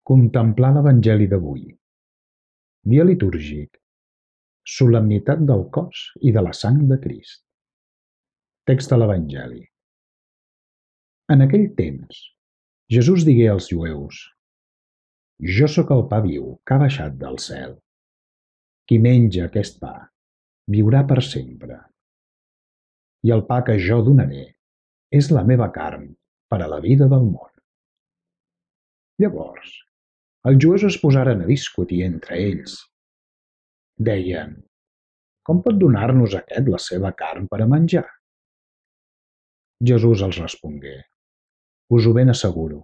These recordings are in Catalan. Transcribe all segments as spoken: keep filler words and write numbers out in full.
Contemplar l'Evangeli d'avui. Dia litúrgic. Solemnitat del cos i de la sang de Crist. Text de l'Evangeli. En aquell temps, Jesús digué als jueus: Jo sóc el pa viu que ha baixat del cel. Qui menja aquest pa viurà per sempre. I el pa que jo donaré és la meva carn per a la vida del món. Llavors, els jueus es posaren a discutir entre ells. Deien: Com pot donar-nos aquest la seva carn per a menjar? Jesús els respongué: Us ho ben asseguro,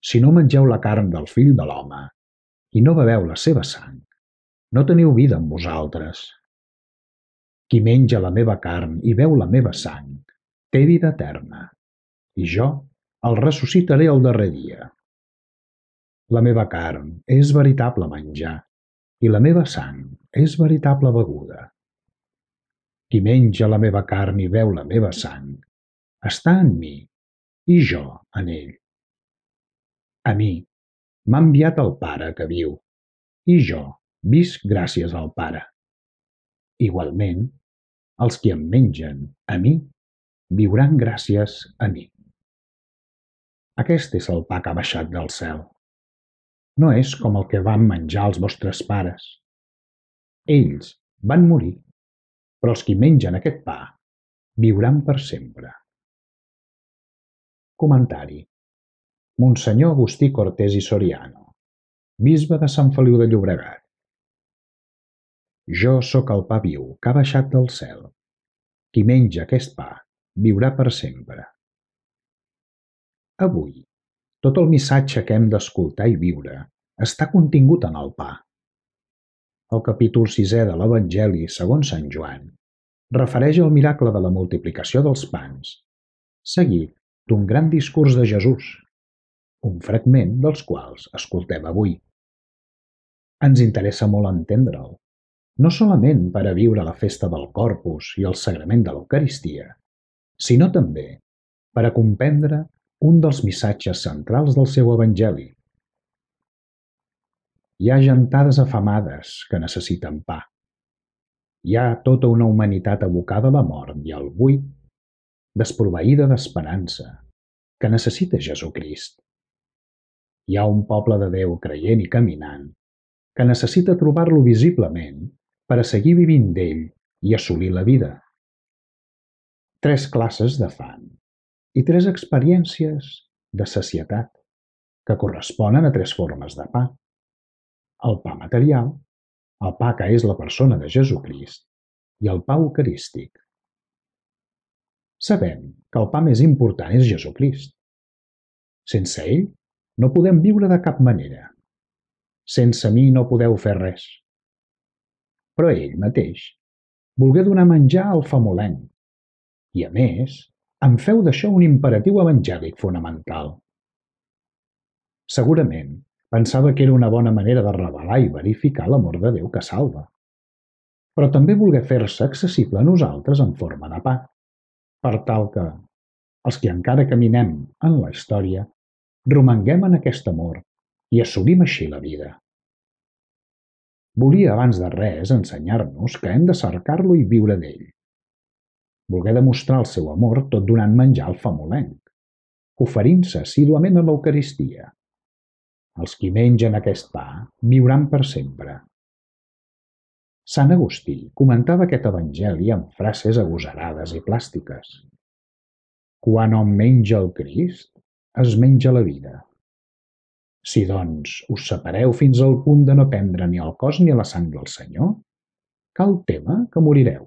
si no mengeu la carn del Fill de l'Home i no beveu la seva sang, no teniu vida en vosaltres. Qui menja la meva carn i beu la meva sang té vida eterna, i jo el ressuscitaré el darrer dia. La meva carn és veritable menjar i la meva sang és veritable beguda. Qui menja la meva carn i beu la meva sang està en mi i jo en ell. A mi m'ha enviat el Pare que viu, i jo visc gràcies al Pare. Igualment, els qui em mengen a mi viuran gràcies a mi. Aquest és el pa que ha baixat del cel. No és com el que van menjar els vostres pares. Ells van morir, però els qui mengen aquest pa viuran per sempre. Comentari. Monsenyor Agustí Cortés i Soriano, bisbe de Sant Feliu de Llobregat. Jo sóc el pa viu que ha baixat del cel. Qui menja aquest pa viurà per sempre. Avui, tot el missatge que hem d'escoltar i viure està contingut en el pa. El capítol sisè de l'Evangeli segons Sant Joan refereix al miracle de la multiplicació dels pans, seguit d'un gran discurs de Jesús, un fragment dels quals escoltem avui. Ens interessa molt entendre'l, no solament per a viure la festa del Corpus i el sagrament de l'Eucaristia, sinó també per a comprendre un dels missatges centrals del seu Evangeli. Hi ha gentades afamades que necessiten pa. Hi ha tota una humanitat abocada a la mort i al buit, desproveïda d'esperança, que necessita Jesucrist. Hi ha un poble de Déu creient i caminant que necessita trobar-lo visiblement per a seguir vivint d'ell i assolir la vida. Tres classes de fam i tres experiències de sacietat que corresponen a tres formes de pa. El pa material, el pa que és la persona de Jesucrist i el pa eucarístic. Sabem que el pa més important és Jesucrist. Sense ell no podem viure de cap manera. Sense mi no podeu fer res. Però ell mateix volgué donar menjar al famolenc i, a més, en feu d'això un imperatiu evangèlic fonamental. Segurament pensava que era una bona manera de revelar i verificar l'amor de Déu que salva. Però també volgué fer-se accessible a nosaltres en forma de pa, per tal que, els que encara caminem en la història, romanguem en aquest amor i assolim així la vida. Volia abans de res ensenyar-nos que hem de cercar-lo i viure d'ell. Volgué demostrar el seu amor tot donant menjar al famolenc, oferint-se assíduament a l'Eucaristia. Els qui mengen aquest pa viuran per sempre. Sant Agustí comentava aquest evangeli amb frases agosarades i plàstiques. Quan hom menja el Crist, es menja la vida. Si, doncs, us separeu fins al punt de no prendre ni el cos ni la sang del Senyor, cal tema que morireu.